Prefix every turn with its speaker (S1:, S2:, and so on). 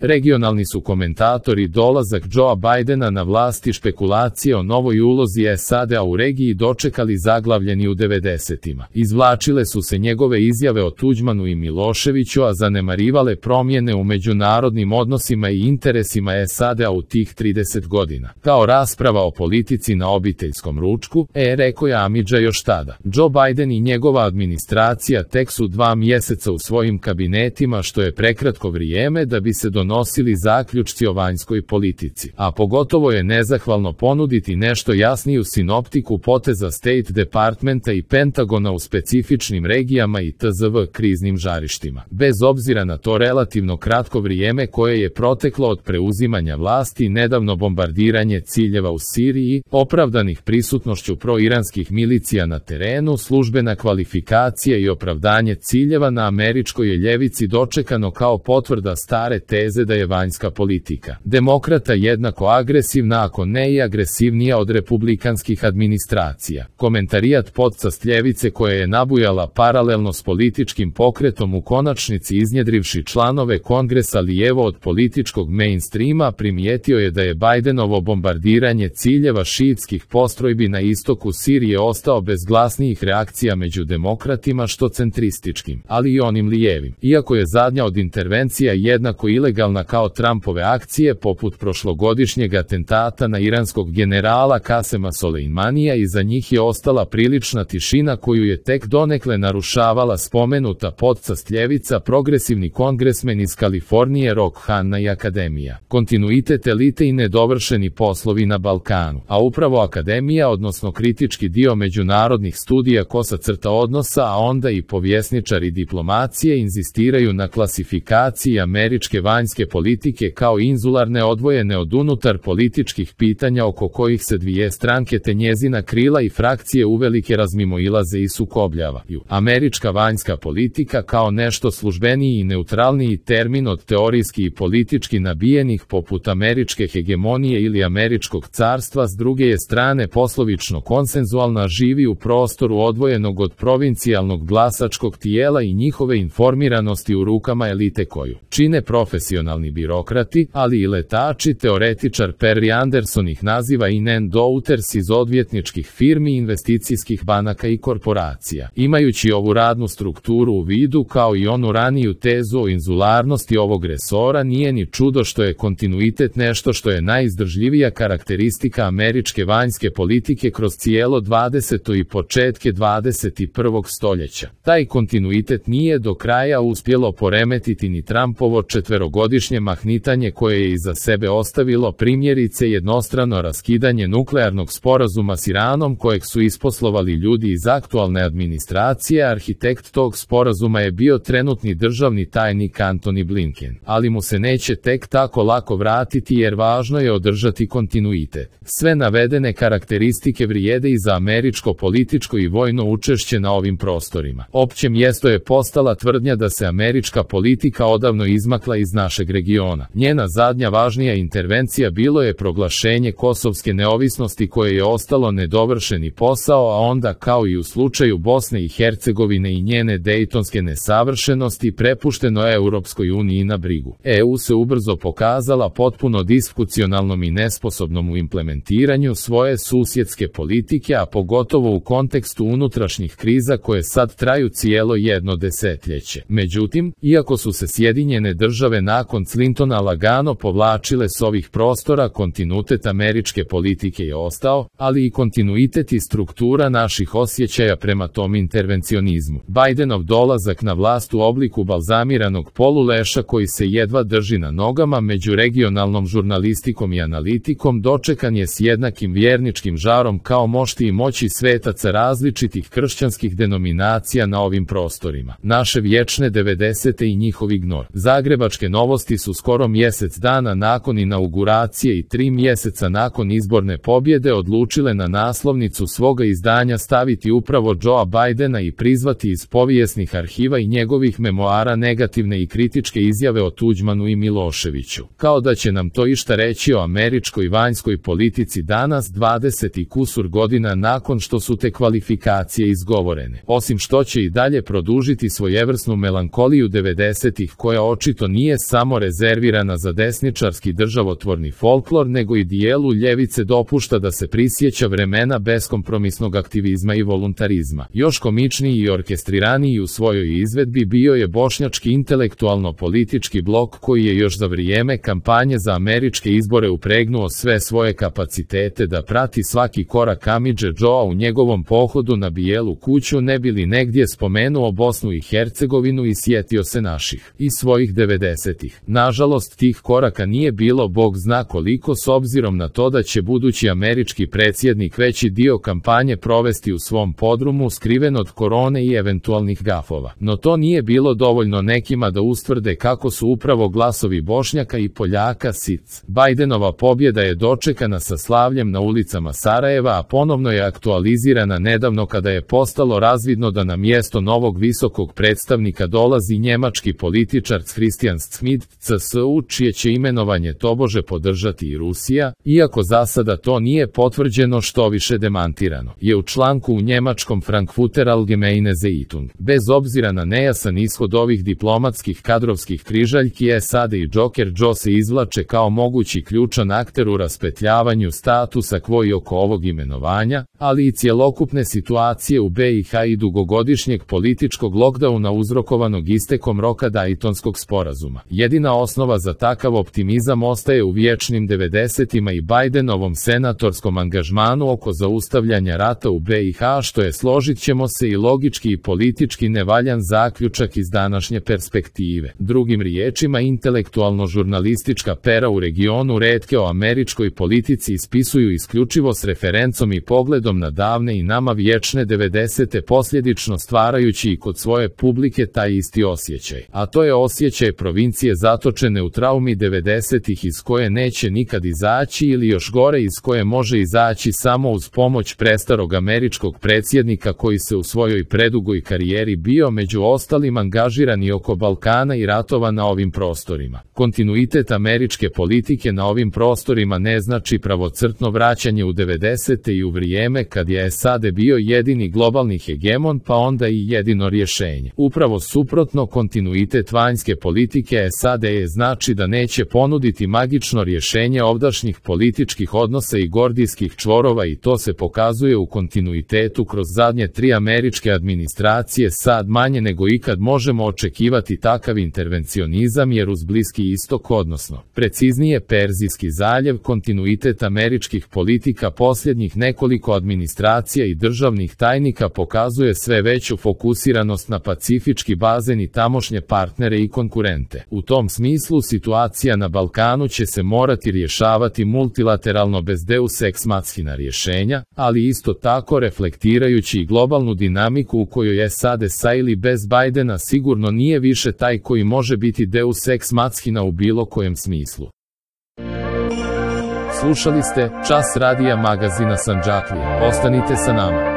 S1: Regionalni su komentatori dolazak Joea Bidena na vlast i špekulacije o novoj ulozi SAD-a u regiji dočekali zaglavljeni u 90-ima. Izvlačile su se njegove izjave o Tuđmanu i Miloševiću, a zanemarivale promjene u međunarodnim odnosima i interesima SAD-a u tih 30 godina. Kao rasprava o politici na obiteljskom ručku, rekao je Amidža još tada. Joe Biden i njegova administracija tek su 2 mjeseca u svojim kabinetima, što je prekratko vrijeme da bi se donosili zaključci o vanjskoj politici. A pogotovo je nezahvalno ponuditi nešto jasniju sinoptiku poteza State Departmenta i Pentagona u specifičnim regijama i tzv. Kriznim žarištima. Bez obzira na to relativno kratko vrijeme koje je proteklo od preuzimanja vlasti, nedavno bombardiranje ciljeva u Siriji, opravdanih prisutnošću proiranskih milicija na terenu, službena kvalifikacija i opravdanje ciljeva na američkoj ljevici dočekano kao potvrda stare teze da je vanjska politika demokrata jednako agresivna, ako ne i agresivnija od republikanskih administracija. Komentarijat podcast ljevice koja je nabujala paralelno s političkim pokretom u konačnici iznjedrivši članove kongresa lijevo od političkog mainstreama, primijetio je da je Bidenovo bombardiranje ciljeva šiitskih postrojbi na istoku Sirije ostao bez glasnijih reakcija među demokratima što centrističkim, ali i onim lijevim. Iako je zadnja od intervencija jednako ilegalna kao Trumpove akcije poput prošlogodišnjeg atentata na iranskog generala Kasema Soleimanija, i za njih je ostala prilična tišina koju je tek donekle narušavala spomenuta podcast ljevica, progresivni kongresmen iz Kalifornije Rock Hanna i Akademija. Kontinuitet elite i nedovršeni poslovi na Balkanu, a upravo Akademija, odnosno kritički dio međunarodnih studija kosa crta odnosa, a onda i povjesničari diplomacije inzistiraju na klasifikaciji američke vanjske politike kao inzularne, odvojene od unutar političkih pitanja oko kojih se dvije stranke te njezina krila i frakcije uvelike razmimoilaze i sukobljavaju. Američka vanjska politika kao nešto službeniji i neutralniji termin od teorijski i politički nabijenih poput američke hegemonije ili američkog carstva, s druge je strane poslovično konsenzualna, živi u prostoru odvojenog od provincijalnog glasačkog tijela i njihove informiranosti u rukama elite koju čine profesionalni birokrati, ali i letači. Teoretičar Perry Anderson ih naziva in-and-outers iz odvjetničkih firmi, investicijskih banaka i korporacija. Imajući ovu radnu strukturu u vidu kao i onu raniju tezu o inzularnosti ovog resora, nije ni čudo što je kontinuitet nešto što je najizdržljivija karakteristika američke vanjske politike kroz cijelo 20. i početke 21. stoljeća. Taj kontinuitet nije do kraja uspjelo poremetiti ni Trumpovo 4-godišnje mahnitanje koje je iza sebe ostavilo primjerice jednostrano raskidanje nuklearnog sporazuma s Iranom kojeg su isposlovali ljudi iz aktualne administracije. Arhitekt tog sporazuma je bio trenutni državni tajnik Antony Blinken, ali mu se neće tek tako lako vratiti jer važno je održati kontinuitet. Sve navedene karakteristike vrijede i za američko političko i vojno učešće na ovim prostorima. Opće mjesto je postala tvrdnja da se američka politika odavno izmakla iz našeg regiona. Njena zadnja važnija intervencija bilo je proglašenje kosovske neovisnosti koje je ostalo nedovršeni posao, a onda kao i u slučaju Bosne i Hercegovine i njene dejtonske nesavršenosti prepušteno Europskoj uniji na brigu. EU se ubrzo pokazala potpuno disfunkcionalnom i nesposobnom u implementiranju svoje susjedske politike, a pogotovo u kontekstu unutrašnjih kriza koje sad traju cijelo jedno desetljeće. Međutim, iako su se Sjedinjene države nakon Clintona lagano povlačile s ovih prostora, kontinuitet američke politike je ostao, ali i kontinuitet i struktura naših osjećaja prema tom intervencionizmu. Bidenov dolazak na vlast u obliku balzamiranog poluleša koji se jedva drži na nogama među regionalnom žurnalistikom i analitikom dočekan je s jednakim vjerničkim žarom kao mošti i moći svetaca različitih kršćanskih denominacija na ovim prostorima. Naše vječne 90. i njihov ignor. Zagrebačke novosti su skoro mjesec dana nakon inauguracije i 3 mjeseca nakon izborne pobjede odlučile na naslovnicu svoga izdanja staviti upravo Joea Bidena i prizvati iz povijesnih arhiva i njegovih memoara negativne i kritičke izjave o Tuđmanu i Miloševiću. Kao da će nam to išta reći o američkoj vanjskoj politici danas 20 i kusur godina nakon što su te kvalifikacije izgovorene. Osim što će i dalje produžiti svojevrsnu melankoliju 90-ih koja očito nije samo samo rezervirana za desničarski državotvorni folklor, nego i dijelu ljevice dopušta da se prisjeća vremena beskompromisnog aktivizma i voluntarizma. Još komičniji i orkestriraniji u svojoj izvedbi bio je bošnjački intelektualno-politički blok koji je još za vrijeme kampanje za američke izbore upregnuo sve svoje kapacitete da prati svaki korak Amidže Džoa u njegovom pohodu na Bijelu kuću, ne bi li negdje spomenuo Bosnu i Hercegovinu i sjetio se naših i svojih 90-ih. Nažalost, tih koraka nije bilo bog zna koliko, s obzirom na to da će budući američki predsjednik veći dio kampanje provesti u svom podrumu skriven od korone i eventualnih gafova. No to nije bilo dovoljno nekima da ustvrde kako su upravo glasovi Bošnjaka i Poljaka sic. Bajdenova pobjeda je dočekana sa slavljem na ulicama Sarajeva, a ponovno je aktualizirana nedavno kada je postalo razvidno da na mjesto novog visokog predstavnika dolazi njemački političar Christian Schmidt, CSU, čije će imenovanje tobože podržati i Rusija, iako za sada to nije potvrđeno, što više demantirano je u članku u njemačkom Frankfurter Allgemeine Zeitung. Bez obzira na nejasan ishod ovih diplomatskih kadrovskih križaljki, SAD i Joker Joe se izvlače kao mogući ključan akter u raspetljavanju statusa quo i oko ovog imenovanja, ali i cjelokupne situacije u BiH i dugogodišnjeg političkog lockdowna uzrokovanog istekom roka Daytonskog sporazuma. Jedina osnova za takav optimizam ostaje u vječnim 90-ima i Bidenovom senatorskom angažmanu oko zaustavljanja rata u BiH, što je, složit ćemo se, i logički i politički nevaljan zaključak iz današnje perspektive. Drugim riječima, intelektualno-žurnalistička pera u regionu retke o američkoj politici ispisuju isključivo s referencom i pogledom na davne i nama vječne 90-te, posljedično stvarajući i kod svoje publike taj isti osjećaj. A to je osjećaj provincije zatočene u traumi 90-ih iz koje neće nikad izaći, ili još gore, iz koje može izaći samo uz pomoć prestarog američkog predsjednika koji se u svojoj predugoj karijeri bio među ostalim angažiran i oko Balkana i ratova na ovim prostorima. Kontinuitet američke politike na ovim prostorima ne znači pravocrtno vraćanje u 90-te i u vrijeme kad je SAD bio jedini globalni hegemon, pa onda i jedino rješenje. Upravo suprotno, kontinuitet vanjske politike SAD je znači da neće ponuditi magično rješenje ovdašnjih političkih odnosa i gordijskih čvorova, i to se pokazuje u kontinuitetu kroz zadnje 3 američke administracije. Sad manje nego ikad možemo očekivati takav intervencionizam, jer uz Bliski istok, odnosno preciznije Perzijski zaljev, kontinuitet američkih politika posljednjih nekoliko administracija i državnih tajnika pokazuje sve veću fokusiranost na pacifički bazen i tamošnje partnere i konkurente. U tom smislu situacija na Balkanu će se morati rješavati multilateralno bez deus ex machina rješenja, ali isto tako reflektirajući i globalnu dinamiku u kojoj SAD sa ili bez Bidena sigurno nije više taj koji može biti deus ex machina u bilo kojem smislu. Slušali ste Čas radija magazina Sandžaklija. Ostanite sa nama.